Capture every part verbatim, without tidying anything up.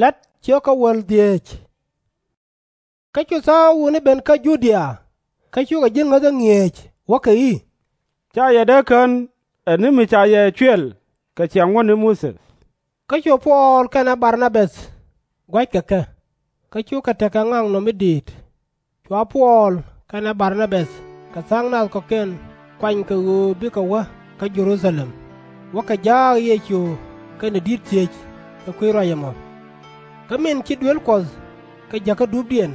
La̱t ciökä wäl dhieec. Kä cu tha̱a̱ŋ wutni ben kä Judia, kä cukɛ ji̱ ŋäthä ŋi̱eec, wäkɛ i̱, Ca yɛ dee kän ɛ ni mi ca yɛ cuɛl kɛ ciaŋ ŋuɔ̱tni Muthɛ. Kä cu Puɔl kɛnɛ Bar-na-bäth gua̱c kɛ kɛ, kä cukɛ tekɛ ŋaknɔm mi di̱i̱t. Cua Puɔl kɛnɛ Bar-na-bäth kɛ tha̱a̱ŋ nath kɔ̱kiɛn kuany kɛ ɣöö bikɛ wä kä Jɛ-ru-tha-lɛm, wäkɛ jaak Yecu kɛnɛ di̱t thiec kɛ kui̱ ruac ɛmɔ. Kä min ci duel Kuɔth kɛ jäkä dupdiɛn,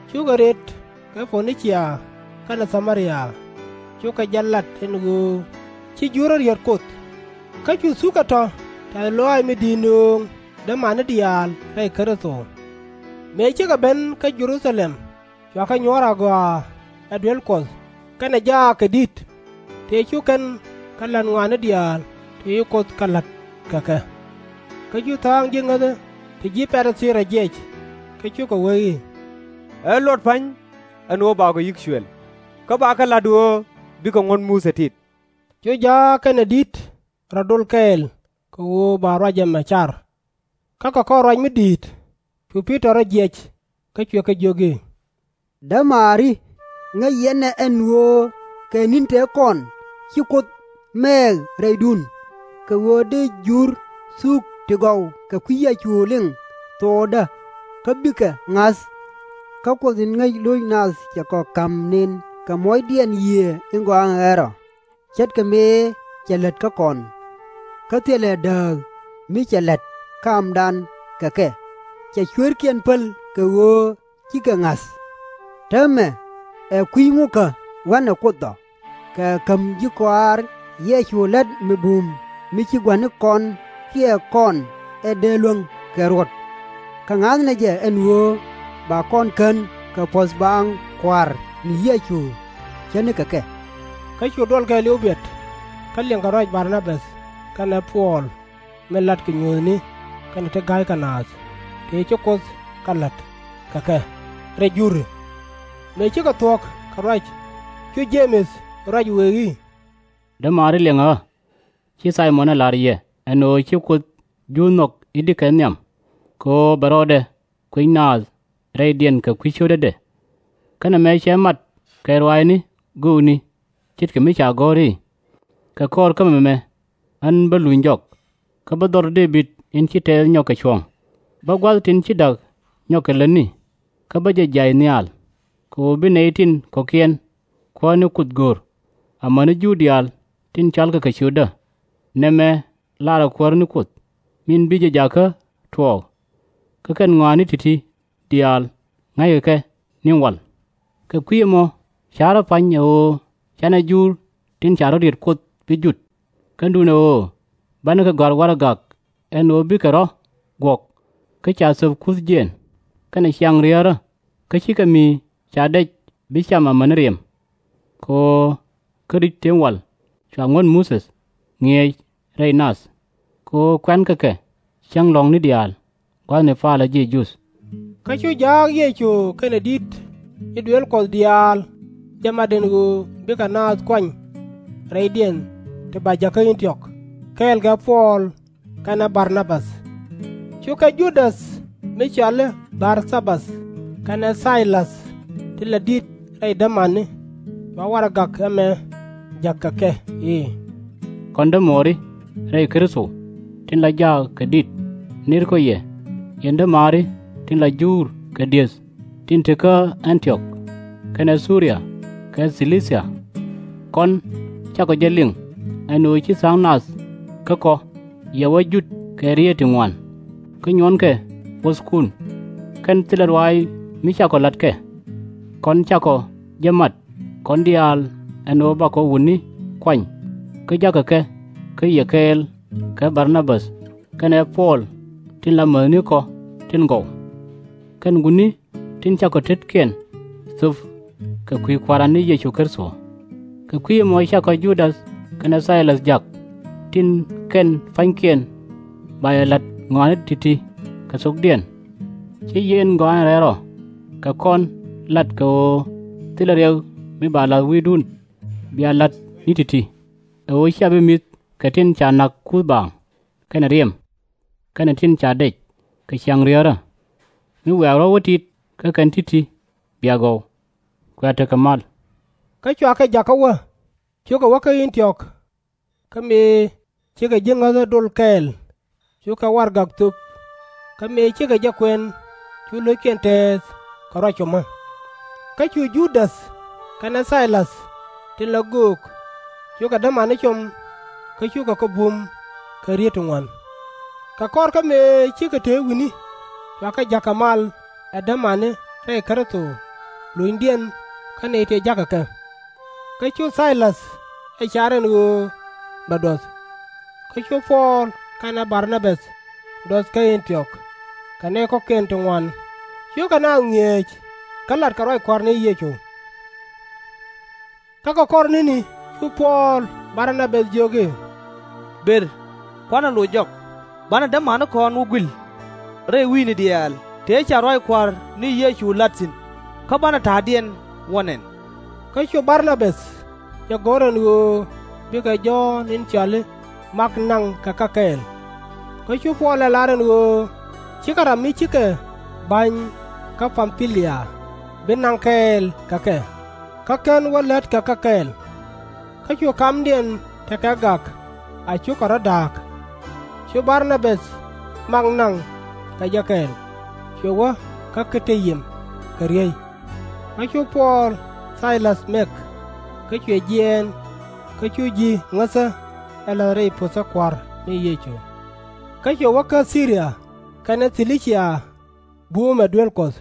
cukɛ rët kɛ Po-ni-cia kɛnɛ Tha-mɛ-ria, cukɛ jɛ lat ɛn ɣöö ci Jur rɔ̱ riet Kuoth. Kä cu thukä tɔ̱ tɛ̈th lɔaac mi di̱i̱t nööŋ dämani diaal rɛy Kritho. Mëë cikɛ ben kä Jɛ-ru-tha-lɛm, cua kɛ nyuɔ̱ɔ̱r agɔaa ɛ duel Kuɔth kɛnɛ jaak kɛ di̱t, tëë cu kɛn kɛ la̱t ŋɔaani diaal ti ci Kuoth kɛ la̱t kɛ kɛ. Kä cu tha̱a̱ŋ ji̱ ŋäthä ti ji̱ Pa-ri-thii rɔ jiɛc, kä cukɛ wee i̱, Ɛ luɔt pa̱ny ɛn ɣöö bakɔ yi̱k cuɛl, kä bakɛ la̱t ɣöö bikɛ ŋuɔ̱t Muthɛ tit. Cu jaak kɛnɛ di̱t rɔ dol kɛɛl kɛ ɣöö ba ruac ɛmɛ car. Kä kɛ kɔr ruac mi di̱i̱t, cu Pi-tɔr rɔ jiɛc, kä cuɛ kɛ jiök i̱, Dämaari, ŋäc yɛn ɛ ɛn ɣöö kɛ ni̱n tëë kɔn ci Kuoth mɛɛk rɛydun, kɛ ɣöö dee Jur thuk ti gɔw kɛ kui̱ Yecu liŋ thokdä, kä bikɛ ŋa̱th. Kä Kuoth in ŋäc lo̱c nath cɛ kɔ ka̱m nën kɛ muɔ̱cdiɛn Yiëë in Gɔaa in Rɛl Rɔ, ce̱tkɛ mëë cɛ lät kä kɔn. Kä thilɛ dääk mi cɛ la̱t kamdan kɛ kɛ, cɛ cueerkiɛn päl kɛ ɣöö cikɛ ŋa̱th. Täämɛ ɛ kui̱ ŋukä wa̱nɛ Kuoth ɔ, kɛ käm ji̱ kɔaar Yecu la̱t mi bum mi ci gua̱nikɔn kiɛ kɔn ɛ dee luäŋ kɛ ruɔ̱t. Kä ŋa̱thnɛ jɛ ɛn ɣöö ba kɔn kän kɛ puɔ̱th baaŋ Kua̱r ni Yecu ce̱tnikɛ kɛ. Kä cu duɔl kɛɛliw biɛt, kä liɛŋkɛ ruac Bar-na-bäth kɛnɛ Puɔl min latkɛ nyuuthni kɛnɛ ti ga̱ykɛ naath tëë ci Kuoth kɛ la̱t kɛ kɛ rɛy Juri. Mëë cikɛ thuɔ̱k kɛ ruac, cu Je-mɛth ruac wëë i̱, Dämaari, liɛŋɛ ɣä. Ci Thay-mɔn ɛ la̱r yɛ ɛn ɣöö ci Kuoth Jur nhɔk i̱di kɛ nhiam, kɛ ɣöö bɛ rɔɔdɛ kuec naath rɛydiɛn kɛ kui̱ cio̱tädɛ. Kä nɛmɛ cɛ mat kɛ ruaacni göökni, ce̱tkɛ mi ca gɔ̱r i̱, Kɛ kɔr kä mɛmɛ ɣän bä luny jɔk, kä bä dhɔr Dee-bid in ci tɛɛth nyɔk kɛ cuɔ̱ŋ. Bä gua̱th tin ci da̱k nyɔk kɛ lätni, kä bä jɛ jiac nhial, kɛ ɣöö bi nɛy tin kɔ̱kiɛn Kuäär ni Kuoth go̱r, amäni Jur diaal tin cɔalkɛ kɛ ciötdä. Nɛmɛ laarɛ Kuäär ni Kuoth min bi jɛ jakä tuɔɔk. Kä kɛn ŋɔaani ti̱ti̱ diaal ŋa̱ckɛ kɛ ni̱n wal. Kɛ kui̱ ɛmɔ ca̱rä pa̱ny ɛ ɣöö /canɛ Jur tin ca rɔ̱ riet Kuoth bi jut. Kä duundɛ ɣöö banɛ kɛ gɔ̱a̱r warɛgak ɛn ɣöö bikɛ rɔ̱ guɔ̱k, kä ca thöp kuthdiɛn kɛnɛ ciaŋ riäärä, kä /cikɛ mi ca dɛc bi cam amäni riɛm. Kɛ ɣöö kä ri̱c tëë wal cua ŋuɔ̱t Muthɛ ŋi̱eec rɛy nath, kɛ ɣöö kuɛ̈nkɛ kɛ cäŋ lɔ̱ŋni diaal gua̱thni palä ji̱ Juudh. Kä cu jaak Yecu kɛnɛ di̱t ji̱ duëël Kuɔth diaal jɛ mat ɛn ɣöö bikɛ naath kuany rɛydiɛn ti ba jäk kä Ɛ̈n-ti-ɔk kɛɛl kɛ Puɔl kɛnɛ Bar-na-bäth. Cukɛ Ju-däth mi cɔal i̱ Bar-tha-bath kɛnɛ Thay-läth tin la di̱t rɛy dämani cua warɛgak ɛmɛ jäk kɛ kɛ i̱, Kɔn dämuɔɔri rɛy Kritho tin la jaak kɛ di̱t, ni̱rkɔ yɛ, yɛn dämaari tin la Jur kɛ di̱eth tin te kä Ɛ̈n-ti-ɔk, kɛnɛ Thu-ria kɛ Thi-li-cia. Kɔn cakɔ jɛ liŋ ɛn ɣöö ci tha̱a̱ŋ nath kä kɔ yɛ wä jut kɛ rieet ti ŋuan, kä nyuɔnkɛ wuɔ̱thkun, kɛn thilɛ ruac mi cakɔ la̱t kɛ. Kɔn cakɔ jɛ mat kɔn diaal ɛn ɣöö bakɔ wutni kuany, kä ja̱kɛ kɛ kä yɛ kɛɛl kɛ Bar-na-bäth kɛnɛ Puɔl tin la mäthnikɔ tin gɔw. Kɛn wutni tin cakɔ tetkiɛn thöp kɛ kui̱ Kua̱ran ni Yecu Kritho. Kɛ kui̱ ɛmɔ cakɔ Ju-däth kɛnɛ Thay-läth jak, tin kɛn pa̱nykiɛn ba yɛ la̱t ŋɔaani ti̱ti̱ kɛ thokdiɛn. /Ci Yiëë in Gɔaa in Rɛl Rɔ kɛ kɔn lat kɛ ɣöö thilɛ riɛk mi ba la̱th wi̱i̱dun bia la̱t ni ti̱ti̱, ɛ ɣöö /cia bi mi̱th kɛ tin ca na̱k kuth baaŋ, kɛnɛ riɛm, kɛnɛ tin ca dɛc, kɛ ciaŋ riäärä, mi wiaa rɔ̱ wä tit kä kɛn ti̱ti̱ bia gɔw, kua tekɛ mal. Kä cua kɛ jakä wä, cukɛ wä kä Ɛ̈n-ti-ɔk. Kä mëë cikɛ ji̱ ŋäthä dol kɛɛl, cukɛ warɛgak thöp. Kä mëë cikɛ jɛ kuɛn, cu lo̱ckiɛn tɛɛth kɛ ruac comä. Kä cu Ju-däth kɛnɛ Thay-läth tin la göök, cukɛ dämani com, kä cukɛ kɛ bum kɛ rieet ti ŋuan. Kɛ kɔr kä mëë cikɛ te wi̱ni, cua kɛ ja̱k kɛ mal ɛ dämani rɛy Kritho, lunydiɛn kä nɛy tëë ja̱kɛ kɛ. Kä cu Thay-läth ɛ car ɛn ɣöö bɛ duɔth. Kä cu Puɔl kɛnɛ Bar-na-bäth duɔth kä Ɛ̈n-ti-ɔk kɛ nɛy kɔ̱kiɛn ti ŋuan, cukɛ naath ŋi̱eec kä latkɛ ruac Kua̱r ni Yecu. Kä kɛ kɔr ni̱ni cu Puɔl Bar-na-bäth jiök i̱, Ber, kuanɛ loc jɔk, banɛ dämanikɔn wä gui̱l rɛy wi̱i̱ni diaal tëë ca ruac Kua̱r ni Yecu la̱t thi̱n, kä banɛ ta̱a̱diɛn wä nɛn. Kä cu Bar-na-bäth jɛ go̱r ɛn ɣöö bikɛ Jɔ̱ɔ̱n in cɔal i̱ Mak naŋ kɛ kɛ kɛɛl. Kä cu Puɔl ɛ lar ɛn ɣöö /cikɛ ram mi cikɛ ba̱ny kä Pam-pi-lia bi naŋ kɛɛl kɛ kɛ, kä /ken wä lät kɛ kɛ kɛɛl. Kä cu kamdiɛn tekɛ gak a cukɛ rɔ̱ da̱a̱k. Cu Bar-na-bäth mak naŋ kɛ jɛ kɛɛl, cuɛ wä kä Ki-ti-yim kɛ riey. Kä cu Puɔl Thay-läth mɛk, kä cuɛ jiɛɛn, kä cu ji̱ ŋäthä ɛ la̱th rɛy puthä Kua̱r ni Yecu. Kä cuɛ wä kä Thi-ri-ya kɛnɛ Thi-li-cia buumɛ duel Kuɔth.